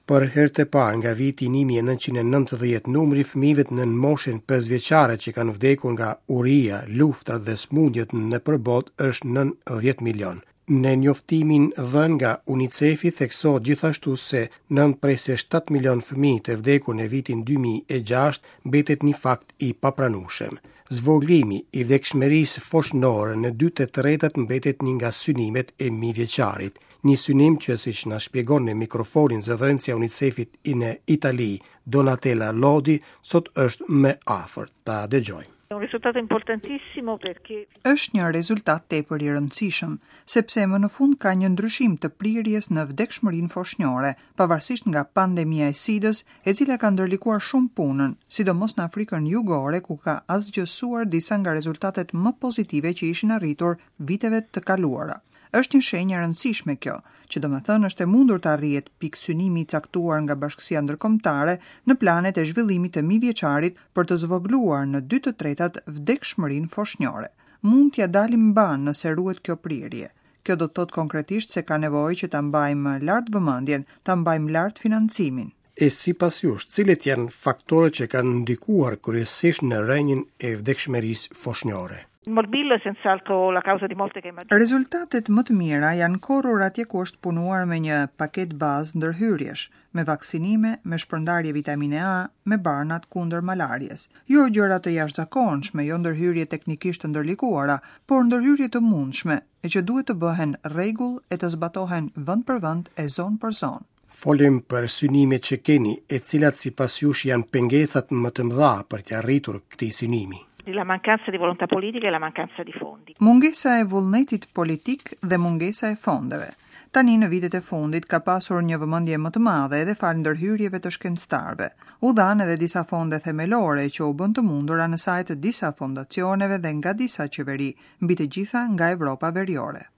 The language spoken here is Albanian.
Për herë të parë nga viti 1990, numri i fëmijëve nën moshën 5 vjeçare që kanë vdekur nga uria, luftrat dhe sëmundjet nëpër botë është nën 10 milion. Në njoftimin dhënë nga UNICEF-i theksohet gjithashtu se 9,7 milion fëmijë të vdekur në vitin 2006 mbetet një fakt i papranueshëm. Zvogëlimi i vdekshmërisë foshnore në 2/3 mbetet një nga synimet e mijëvjeçarit. Një synim që siç na shpjegon në mikrofonin zëdhënësja e UNICEF-it në Itali, Donatella Lodi, sot është më afër. Ta dëgjojmë. Un risultato importantissimo perché Është një rezultat tepër i rëndësishëm, sepse më në fund ka një ndryshim të prirjes në vdekshmërinë foshnjore, pavarësisht nga pandemia e SIDës, e cila ka ndërlikuar shumë punën, sidomos në Afrikën Jugore ku ka asgjësuar disa nga rezultatet më pozitive që ishin arritur viteve të kaluara. Është një shenjë e rëndësishme kjo, që domethënë është e mundur të arrihet pikësynimi i caktuar nga bashkësia ndërkombëtare në planet e zhvillimit të mijëvjeçarit për të zvogëluar në 2/3 vdekshmërinë foshnjore. Mund t'ia dalim mbanë nëse ruhet kjo prirje. Kjo do të thotë konkretisht se ka nevojë që ta mbajmë lart vëmendjen, ta mbajmë lart financimin. E sipas jush, cilët janë faktorët që kanë ndikuar kryesisht në rënien e vdekshmërisë foshnjore? Il morbillo è senz'altro la causa di morte che maggiore. Rezultatet më të mira janë korrur atje ku është punuar me një paketë bazë ndërhyrjesh, me vaksinime, me shpërndarje vitamine A, me barnat kundër malarjes. Jo gjëra të jashtëzakonshme, jo ndërhyrje teknikisht të ndërlikuara, por ndërhyrje të mundshme, e që duhet të bëhen rregull e të zbatohen vend për vend e zonë për zonë. Folim për synimet që keni, e cilat sipas jush janë pengesat më të mëdha për t'ia arritur këtij synimi. La mancanza di volontà politica e la mancanza di fondi. Mungesa e vullnetit politik dhe mungesa e fondeve. Tani në vitet e fundit ka pasur një vëmendje më të madhe edhe falë ndërhyrjeve të shkencëtarëve. U dhanë edhe disa fonde themelore që u bënë të mundura në sajë të disa fondacioneve dhe nga disa qeveri, mbi të gjitha nga Evropa Veriore.